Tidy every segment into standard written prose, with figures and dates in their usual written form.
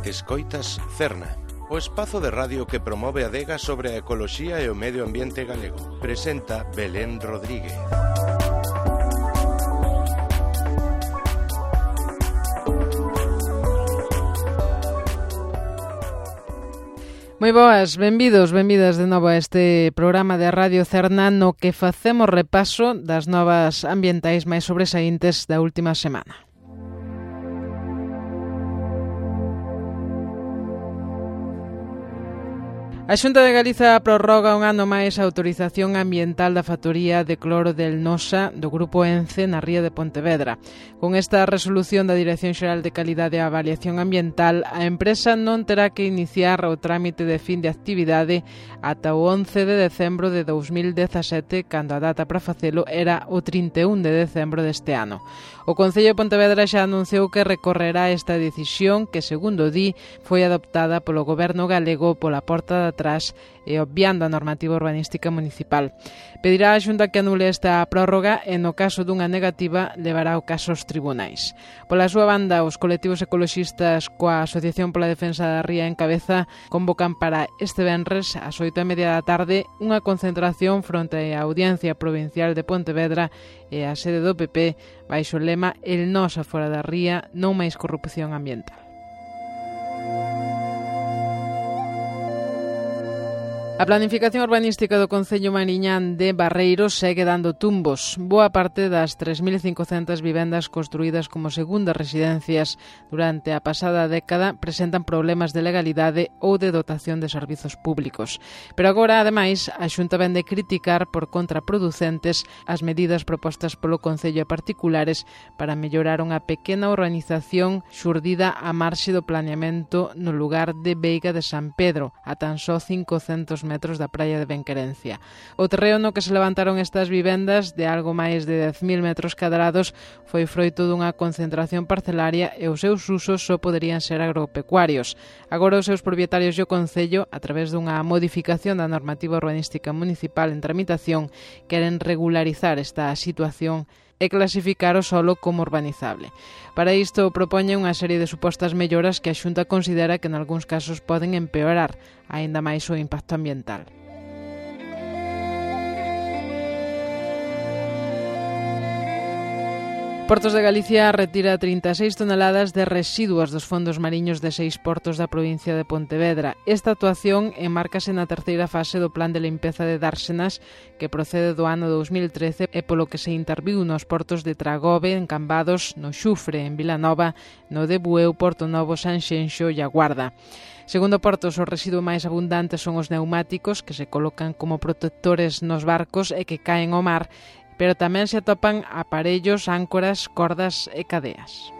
Escoitas Cerna, o espazo de radio que promove a adega sobre a ecoloxía e o medio ambiente galego. Presenta Belén Rodríguez. Moi boas, benvidos, benvidas de novo a este programa de Radio Cerna no que facemos repaso das novas ambientais máis sobresaíntes da última semana. A Xunta de Galiza prorroga un ano máis a autorización ambiental da factoría de cloro del Nosa do Grupo ENCE na ría de Pontevedra. Con esta resolución da Dirección Xeral de Calidade e Avaliación Ambiental, a empresa non terá que iniciar o trámite de fin de actividade ata o 11 de decembro de 2017, cando a data para facelo era o 31 de decembro deste ano. O Concello de Pontevedra xa anunciou que recorrerá esta decisión que, segundo di, foi adoptada polo Goberno galego pola porta de atrás e obviando a normativa urbanística municipal. Pedirá a Xunta que anule esta prórroga e, no caso dunha negativa, levará o caso aos tribunais. Pola súa banda, os colectivos ecoloxistas coa Asociación pola Defensa da Ría en cabeza convocan para este venres ás 8:30 da tarde unha concentración fronte á Audiencia Provincial de Pontevedra e a sede do PP baixo o lema "El Nosa fora da ría, non máis corrupción ambiental". A planificación urbanística do Concello Mariñán de Barreiros segue dando tumbos. Boa parte das 3.500 vivendas construídas como segundas residencias durante a pasada década presentan problemas de legalidade ou de dotación de servizos públicos. Pero agora, ademais, a Xunta vén de criticar por contraproducentes as medidas propostas polo Concello a particulares para mellorar unha pequena urbanización xurdida á marxe do planeamento no lugar de Veiga de San Pedro, a tan só 500 metros da praia de Benquerencia. O terreo no que se levantaron estas vivendas, de algo máis de 10.000 metros cadrados, foi froito dunha concentración parcelaria e os seus usos só poderían ser agropecuarios. Agora os seus propietarios e o Concello, a través dunha modificación da normativa urbanística municipal en tramitación, queren regularizar esta situación e clasificar o solo como urbanizable. Para isto propoñen unha serie de supostas melloras que a Xunta considera que en algúns casos poden empeorar aínda máis o impacto ambiental. Portos de Galicia retira 36 toneladas de residuos dos fondos mariños de 6 portos da provincia de Pontevedra. Esta actuación enmárcase na terceira fase do plan de limpeza de Dársenas que procede do ano 2013 e polo que se interviu nos portos de Tragove, en Cambados, no Xufre, en Vilanova, no de Bueu, Porto Novo, Sanxenxo e a Guarda. Segundo portos, os residuos máis abundantes son os neumáticos, que se colocan como protectores nos barcos e que caen ao mar, pero tamén se atopan aparellos, áncoras, cordas e cadeas.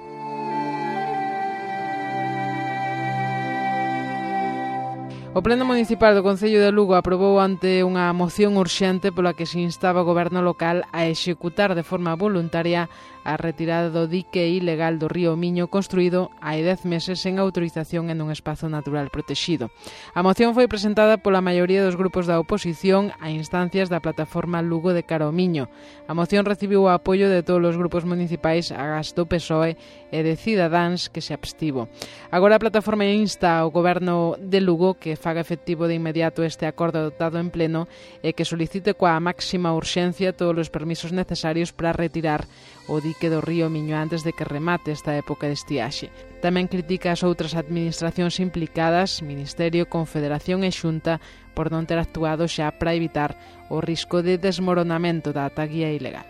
O Pleno Municipal do Concello de Lugo aprobou ante unha moción urxente pola que se instaba o goberno local a executar de forma voluntaria a retirada do dique ilegal do río Miño construído hai 10 meses sen autorización en un espazo natural protexido. A moción foi presentada pola maioría dos grupos da oposición a instancias da plataforma Lugo de Cara ao Miño. A moción recibiu o apoio de todos os grupos municipais agás do PSOE e de Cidadáns, que se abstivo. Agora a plataforma insta ao goberno de Lugo que faga efectivo de inmediato este acordo adoptado en pleno e que solicite coa máxima urxencia todos os permisos necesarios para retirar o dique do río Miño antes de que remate esta época de estiaxe. Tamén critica as outras administracións implicadas, Ministerio, Confederación e Xunta, por non ter actuado xa para evitar o risco de desmoronamento da ataguía ilegal.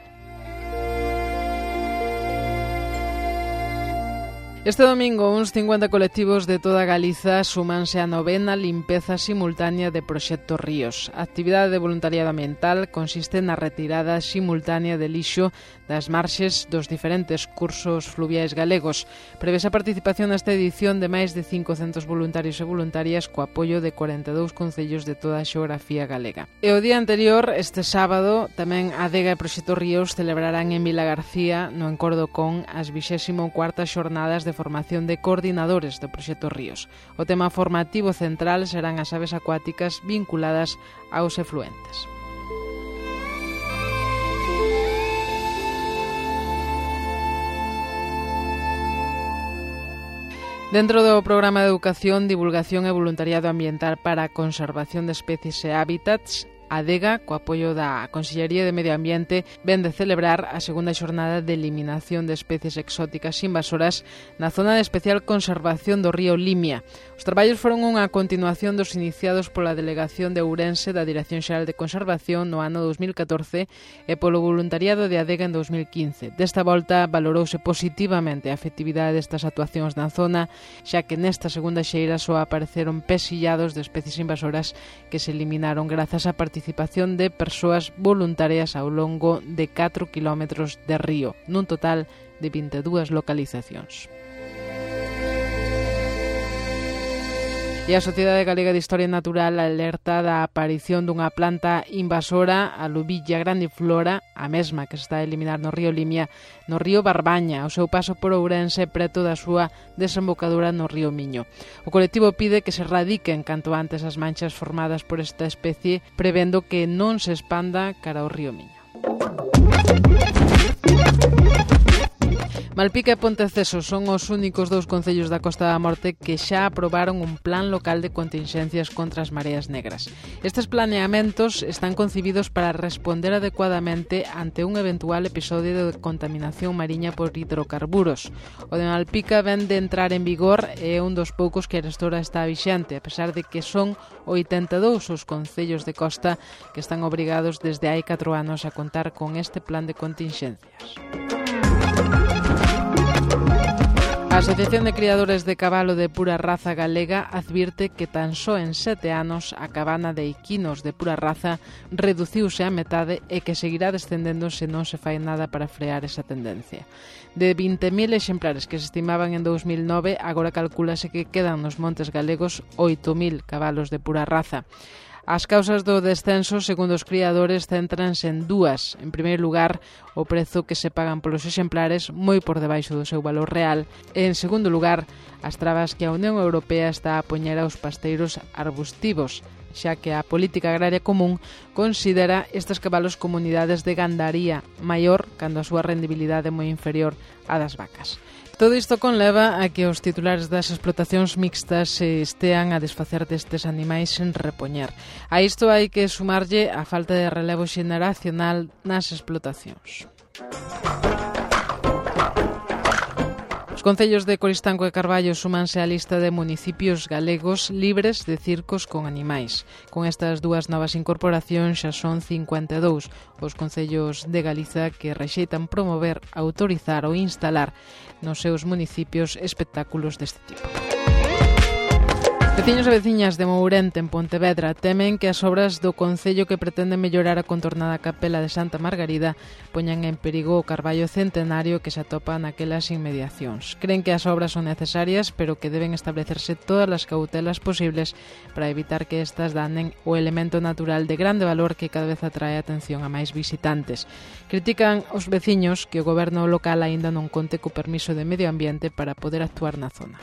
Este domingo, uns 50 colectivos de toda Galiza súmanse á novena limpeza simultánea de Proxecto Ríos. A actividade de voluntariado ambiental consiste na retirada simultánea de lixo das marxes dos diferentes cursos fluviais galegos. Prevese a participación nesta edición de máis de 500 voluntarios e voluntarias co apoio de 42 concellos de toda a xeografía galega. E o día anterior, este sábado, tamén a Adega e Proxecto Ríos celebrarán en Vilagarcía, no Encordo Con, as 24ª xornadas de formación de coordinadores do Proxecto Ríos. O tema formativo central serán as aves acuáticas vinculadas aos efluentes. Dentro do programa de educación, divulgación e voluntariado ambiental para a conservación de especies e hábitats, a Adega, co apoio da Consellería de Medio Ambiente, ven de celebrar a segunda xornada de eliminación de especies exóticas invasoras na zona de especial conservación do río Limia. Os traballos foron unha continuación dos iniciados pola Delegación de Ourense da Dirección Xeral de Conservación no ano 2014 e polo voluntariado de Adega en 2015. Desta volta valorouse positivamente a efectividade destas actuacións na zona, xa que nesta segunda xeira só apareceron pesillados de especies invasoras que se eliminaron grazas á participación de persoas voluntarias ao longo de 4 kilómetros de río, nun total de 22 localizacións. E a Sociedade Galega de Historia Natural alerta da aparición dunha planta invasora, a Lubilla grandiflora, a mesma que se está a eliminar no río Limia, no río Barbaña, ao seu paso por Ourense preto da súa desembocadura no río Miño. O colectivo pide que se erradiquen canto antes as manchas formadas por esta especie, prevendo que non se expanda cara ao río Miño. Malpica e Ponteceso son os únicos dous concellos da Costa da Morte que xa aprobaron un plan local de continxencias contra as mareas negras. Estes planeamentos están concibidos para responder adecuadamente ante un eventual episodio de contaminación mariña por hidrocarburos. O de Malpica ven de entrar en vigor e é un dos poucos que arestora está vixente, a pesar de que son 82 os concellos de costa que están obrigados desde hai 4 anos a contar con este plan de continxencias. A Asociación de Criadores de Cabalo de Pura Raza Galega advirte que tan só en 7 anos a cabana de equinos de pura raza reduciuse a metade e que seguirá descendendo se non se fai nada para frear esa tendencia. De 20.000 exemplares que se estimaban en 2009, agora calcúlase que quedan nos montes galegos 8.000 cabalos de pura raza. As causas do descenso, segundo os criadores, céntranse en dúas. En primeiro lugar, o prezo que se pagan polos exemplares, moi por debaixo do seu valor real. E, en segundo lugar, as trabas que a Unión Europea está a poñer aos pasteiros arbustivos, xa que a Política Agraria Común considera estes cabalos como unidades de gandaría maior cando a súa rendibilidade é moi inferior á das vacas. Todo isto conleva a que os titulares das explotacións mixtas se estean a desfacer destes animais sen repoñer. A isto hai que sumarlle a falta de relevo xeneracional nas explotacións. Os concellos de Coristanco e Carballo súmanse á lista de municipios galegos libres de circos con animais. Con estas dúas novas incorporacións xa son 52 os concellos de Galiza que rexeitan promover, autorizar ou instalar nos seus municipios espectáculos deste tipo. Veciños e veciñas de Mourente, en Pontevedra, temen que as obras do concello que pretenden mellorar a contornada capela de Santa Margarida poñan en perigo o carballo centenario que se atopa naquelas inmediacións. Creen que as obras son necesarias, pero que deben establecerse todas as cautelas posibles para evitar que estas danen o elemento natural de grande valor que cada vez atrae a atención a máis visitantes. Critican os veciños que o goberno local aínda non conte co permiso de medio ambiente para poder actuar na zona.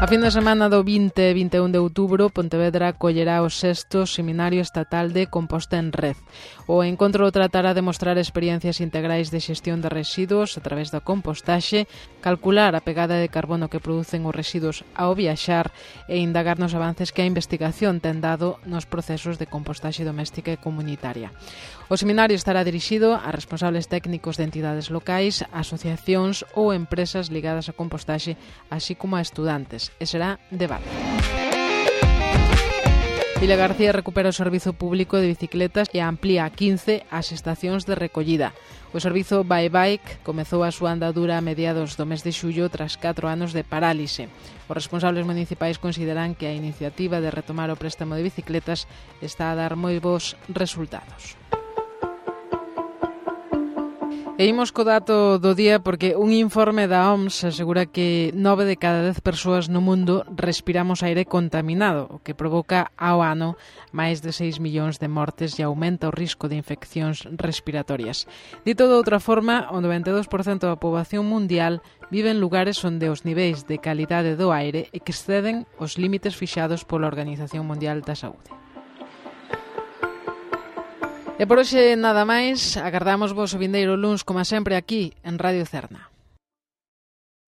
A fin de semana do 20 e 21 de outubro, Pontevedra acollerá o 6º Seminario Estatal de Composta en Red. O encontro tratará de mostrar experiencias integrais de xestión de residuos a través da compostaxe, calcular a pegada de carbono que producen os residuos ao viaxar e indagar nos avances que a investigación ten dado nos procesos de compostaxe doméstica e comunitaria. O seminario estará dirixido a responsables técnicos de entidades locais, asociacións ou empresas ligadas á compostaxe, así como a estudantes, e será de Val. Vila García recupera o servizo público de bicicletas e amplía a 15 as estacións de recollida. O servizo Bye Bike comezou a súa andadura a mediados do mes de xullo tras 4 anos de parálise. Os responsables municipais consideran que a iniciativa de retomar o préstamo de bicicletas está a dar moi bons resultados. E imos co dato do día porque un informe da OMS asegura que 9 de cada 10 persoas no mundo respiramos aire contaminado, o que provoca ao ano máis de 6 millóns de mortes e aumenta o risco de infeccións respiratorias. Dito de outra forma, o 92% da poboación mundial vive en lugares onde os niveis de calidade do aire exceden os límites fixados pola Organización Mundial da Saúde. E por hoxe nada máis, agardamos vos o vindeiro luns, como sempre, aquí en Radio Cerna.